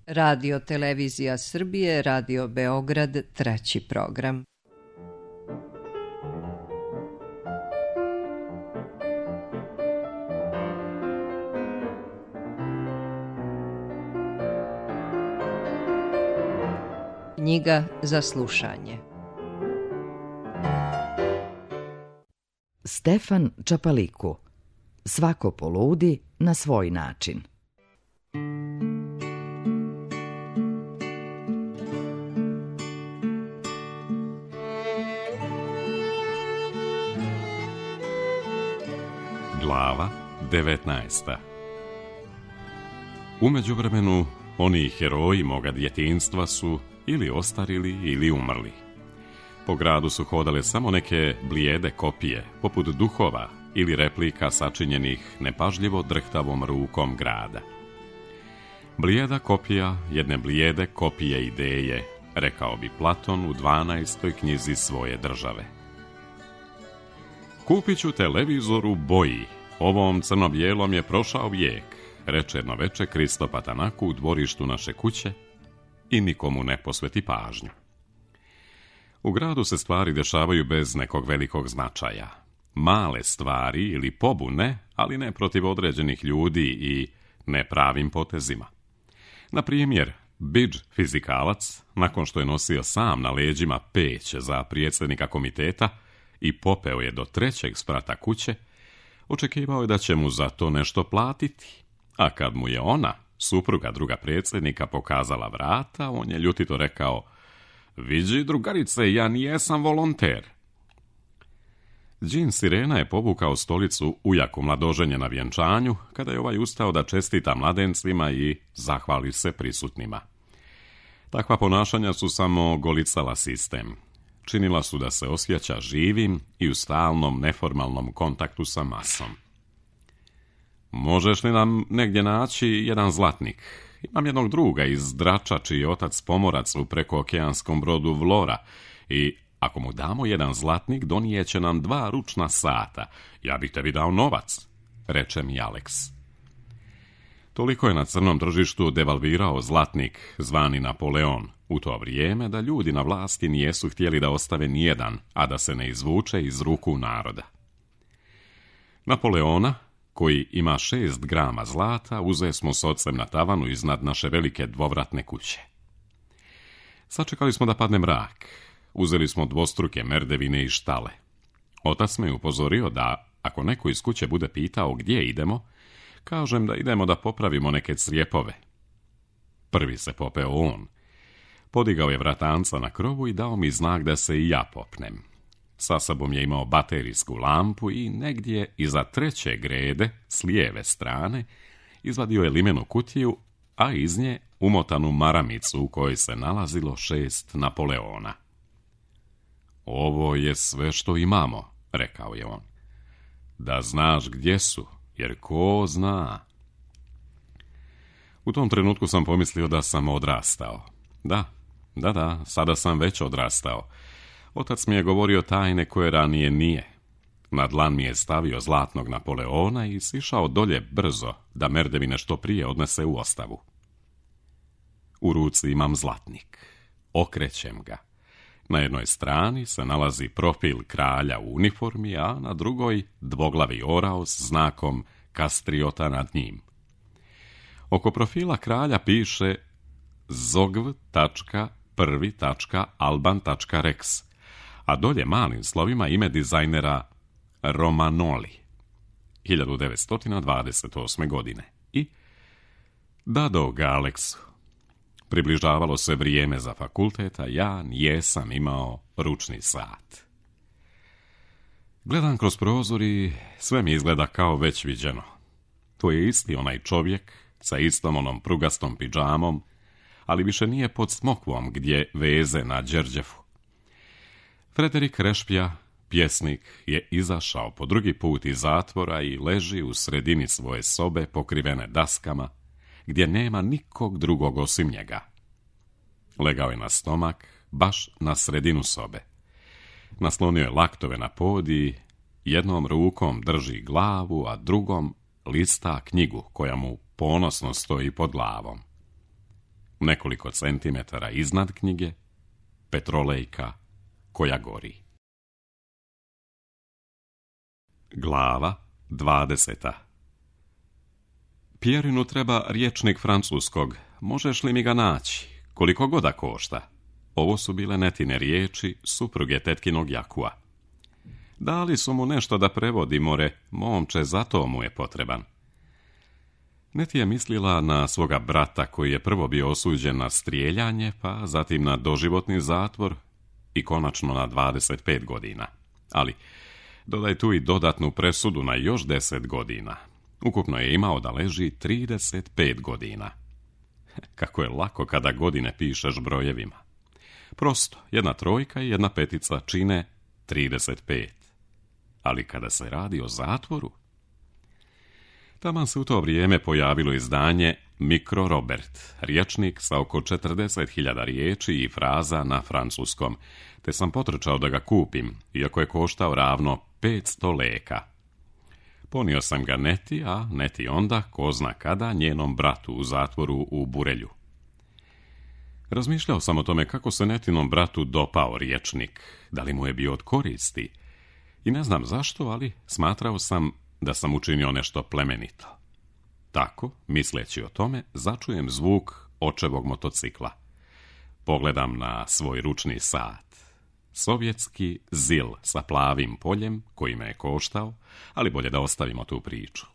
Radio Televizija Srbije, Radio Beograd, 3. program. Knjiga za slušanje. Stefan Čapaliku. Svako poludi na svoj način. Glava 19. U međuvremenu, oni heroji moga djetinjstva su ili ostarili ili umrli. Po gradu su hodale samo neke blijede kopije, poput duhova ili replika sačinjenih nepažljivo drhtavom rukom grada. Blijeda kopija jedne blijede kopije ideje, rekao bi Platon u 12. knjizi svoje države. Kupit ću televizor u boji, ovom crno-bijelom je prošao vijek, reče jedno veče Kristo Patanaku u dvorištu naše kuće i nikomu ne posveti pažnju. U gradu se stvari dešavaju bez nekog velikog značaja. Male stvari ili pobune, ali ne protiv određenih ljudi i nepravim potezima. Na primjer, Bidž fizikalac, nakon što je nosio sam na leđima peć za predsjednika komiteta i popeo je do 3. sprata kuće, očekivao je da će mu za to nešto platiti. A kad mu je ona, supruga druga predsjednika, pokazala vrata, on je ljutito rekao: "Vidi, drugarice, ja nijesam volonter." Đin Sirena je povukao stolicu ujaku mladoženje na vjenčanju, kada je ovaj ustao da čestita mladencima i zahvali se prisutnima. Takva ponašanja su samo golicala sistem. Činila su da se osjeća živim i u stalnom neformalnom kontaktu sa masom. "Možeš li nam negdje naći jedan zlatnik? Imam jednog druga iz Drača, čiji je otac pomorac u prekookeanskom brodu Vlora i ako mu damo jedan zlatnik, donijeće nam 2 ručna sata. Ja bih tebi dao novac," reče mi Alex. Toliko je na crnom tržištu devalvirao zlatnik zvani Napoleon u to vrijeme da ljudi na vlasti nijesu htjeli da ostave nijedan, a da se ne izvuče iz ruku naroda. Napoleona, koji ima 6 grama zlata, uze smo s ocem na tavanu iznad naše velike dvovratne kuće. Sačekali smo da padne mrak. Uzeli smo dvostruke merdevine i štale. Otac me upozorio da, ako neko iz kuće bude pitao gdje idemo, kažem da idemo da popravimo neke crijepove. Prvi se popeo on. Podigao je vratanca na krovu i dao mi znak da se i ja popnem. Sa sobom je imao baterijsku lampu i negdje iza 3. grede, s lijeve strane, izvadio je limenu kutiju, a iz nje umotanu maramicu u kojoj se nalazilo 6 Napoleona. "Ovo je sve što imamo," rekao je on. "Da znaš gdje su, jer ko zna." U tom trenutku sam pomislio da sam odrastao. Da, sada sam već odrastao. Otac mi je govorio tajne koje ranije nije. Na dlan mi je stavio zlatnog Napoleona i sišao dolje brzo da merdevine što prije odnese u ostavu. U ruci imam zlatnik. Okrećem ga. Na jednoj strani se nalazi profil kralja u uniformi, a na drugoj dvoglavi orao s znakom kastriota nad njim. Oko profila kralja piše zogv.1.alban.rex, a dolje malim slovima ime dizajnera Romanoli, 1928. godine. I dado ga Aleksu. Približavalo se vrijeme za fakultet, a ja nijesam imao ručni sat. Gledam kroz prozor i sve mi izgleda kao već viđeno. To je isti onaj čovjek sa istom onom prugastom pidžamom, ali više nije pod smokvom gdje veze na Đerđefu. Frederik Rešpja, pjesnik, je izašao po drugi put iz zatvora i leži u sredini svoje sobe pokrivene daskama, gdje nema nikog drugog osim njega. Legao je na stomak, baš na sredinu sobe. Naslonio je laktove na pod i jednom rukom drži glavu, a drugom lista knjigu koja mu ponosno stoji pod glavom. Nekoliko centimetara iznad knjige, petrolejka koja gori. Glava 20. Pierinu treba rječnik francuskog. Možeš li mi ga naći? Koliko god da košta. Ovo su bile Netine riječi, supruge tetkinog Jakua. Dali su mu nešto da prevodi, more, momče, zato mu je potreban. Neti je mislila na svoga brata koji je prvo bio osuđen na strijeljanje, pa zatim na doživotni zatvor i konačno na 25 godina. Ali dodaj tu i dodatnu presudu na još 10 godina. Ukupno je imao da leži 35 godina. Kako je lako kada godine pišeš brojevima. Prosto, jedna trojka i jedna petica čine 35. Ali kada se radi o zatvoru... Taman se u to vrijeme pojavilo izdanje Mikro Robert, rječnik sa oko 40.000 riječi i fraza na francuskom, te sam potrčao da ga kupim, iako je koštao ravno 500 leka. Ponio sam ga Neti, a Neti onda, ko zna kada, njenom bratu u zatvoru u Burelju. Razmišljao sam o tome kako se Netinom bratu dopao rječnik, da li mu je bio od koristi. I ne znam zašto, ali smatrao sam da sam učinio nešto plemenito. Tako, misleći o tome, začujem zvuk očevog motocikla. Pogledam na svoj ručni sat. Sovjetski ZIL sa plavim poljem, koji me je koštao, ali bolje da ostavimo tu priču.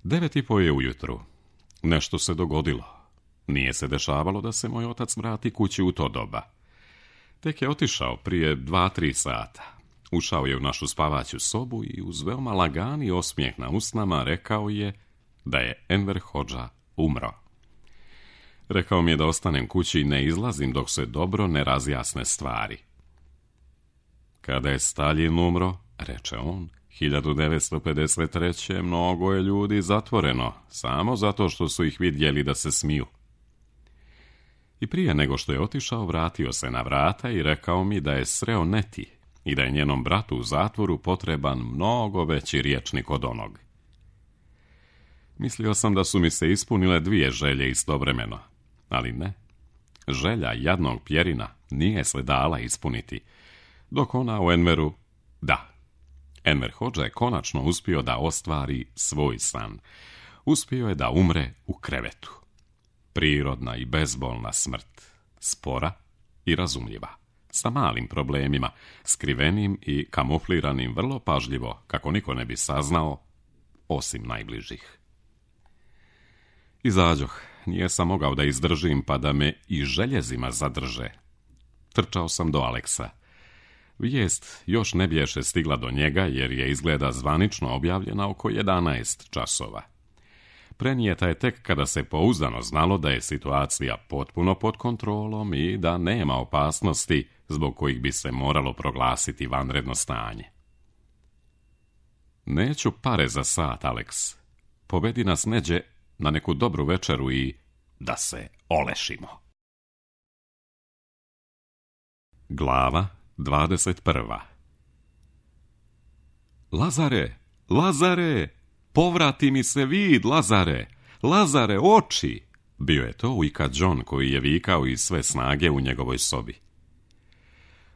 9:30 je ujutru. Nešto se dogodilo. Nije se dešavalo da se moj otac vrati kući u to doba. Tek je otišao prije 2-3 sata. Ušao je u našu spavaću sobu i uz veoma lagani osmijeh na usnama rekao je da je Enver Hodža umro. Rekao mi je da ostanem kući i ne izlazim dok se dobro ne razjasne stvari. Kada je Staljin umro, reče on, 1953. mnogo je ljudi zatvoreno, samo zato što su ih vidjeli da se smiju. I prije nego što je otišao, vratio se na vrata i rekao mi da je sreo Neti i da je njenom bratu u zatvoru potreban mnogo veći rječnik od onog. Mislio sam da su mi se ispunile 2 želje istovremeno, ali ne. Želja jadnog Pjerina nije se dala ispuniti, dok ona u Enveru, da. Enver Hodža je konačno uspio da ostvari svoj san. Uspio je da umre u krevetu. Prirodna i bezbolna smrt, spora i razumljiva, sa malim problemima, skrivenim i kamufliranim vrlo pažljivo, kako niko ne bi saznao, osim najbližih. Izađoh, nije sam mogao da izdržim pa da me i željezima zadrže. Trčao sam do Aleksa. Vijest još ne biješe stigla do njega jer je izgleda zvanično objavljena oko 11 časova. Prenijeta je tek kada se pouzdano znalo da je situacija potpuno pod kontrolom i da nema opasnosti zbog kojih bi se moralo proglasiti vanredno stanje. Neću pare za sat, Aleks. Povedi nas neđe na neku dobru večeru i da se olešimo. Glava 21. Lazare, Lazare, povrati mi se vid, Lazare, Lazare, oči! Bio je to Ujka John koji je vikao iz sve snage u njegovoj sobi.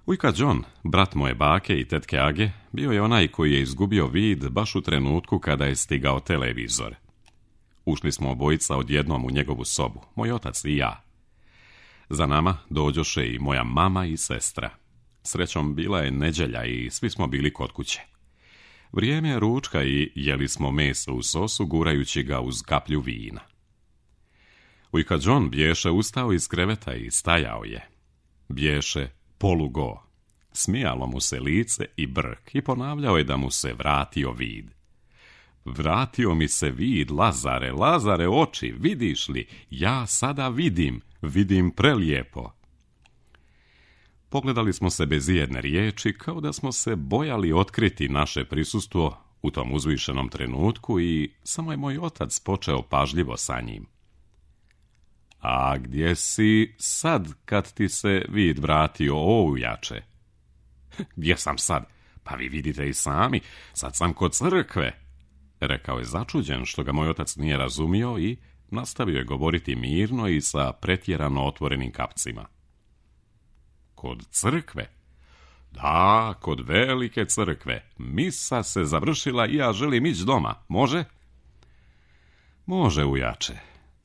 Ujka John, brat moje bake i tetke Age, bio je onaj koji je izgubio vid baš u trenutku kada je stigao televizor. Ušli smo obojica odjednom u njegovu sobu, moj otac i ja. Za nama dođoše i moja mama i sestra. Srećom, bila je nedjelja i svi smo bili kod kuće. Vrijeme je ručka i jeli smo meso u sosu gurajući ga uz kaplju vina. Ujka John bješe ustao iz kreveta i stajao je. Bješe polugo. Smijalo mu se lice i brk i ponavljao je da mu se vratio vid. Vratio mi se vid, Lazare, Lazare, oči, vidiš li? Ja sada vidim prelijepo. Pogledali smo se bez ijedne riječi, kao da smo se bojali otkriti naše prisustvo u tom uzvišenom trenutku i samo je moj otac počeo pažljivo sa njim. A gdje si sad kad ti se vid vratio, ujače? Gdje sam sad? Pa vi vidite i sami, sad sam kod crkve, rekao je začuđen što ga moj otac nije razumio i nastavio je govoriti mirno i sa pretjerano otvorenim kapcima. Kod crkve? Da, kod velike crkve. Misa se završila i ja želim ići doma. Može? Može, ujače,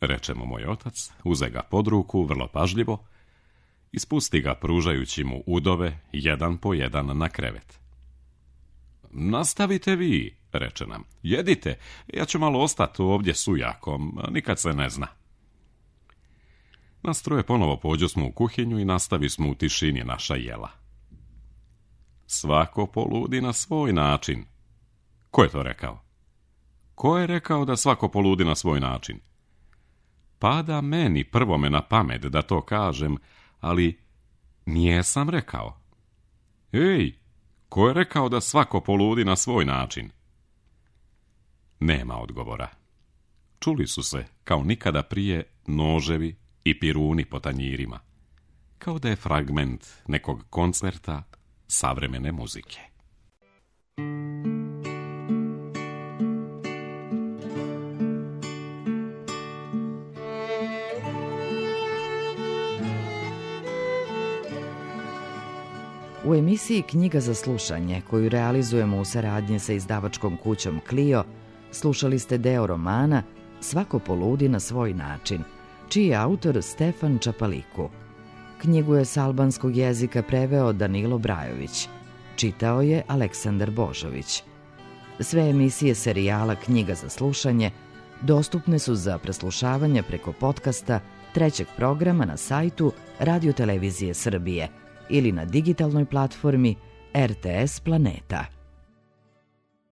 reče mu moj otac, uze ga pod ruku vrlo pažljivo i spusti ga pružajući mu udove jedan po jedan na krevet. Nastavite vi, reče nam. Jedite, ja ću malo ostati ovdje s ujakom, nikad se ne zna. Nas troje ponovo pođosmo u kuhinju i nastavi smo u tišini naša jela. Svako poludi na svoj način. Ko je to rekao? Ko je rekao da svako poludi na svoj način? Pada meni prvome na pamet da to kažem, ali nijesam rekao. Ej, ko je rekao da svako poludi na svoj način? Nema odgovora. Čuli su se, kao nikada prije, noževi i piruni po tanjirima, kao da je fragment nekog koncerta savremene muzike. U emisiji Knjiga za slušanje, koju realizujemo u saradnji sa izdavačkom kućom Clio, slušali ste deo romana Svako poludi na svoj način, čiji je autor Stefan Čapaliku. Knjigu je s albanskog jezika preveo Danilo Brajović. Čitao je Aleksandar Božović. Sve emisije serijala Knjiga za slušanje dostupne su za preslušavanje preko podcasta trećeg programa na sajtu Radio Televizije Srbije ili na digitalnoj platformi RTS Planeta.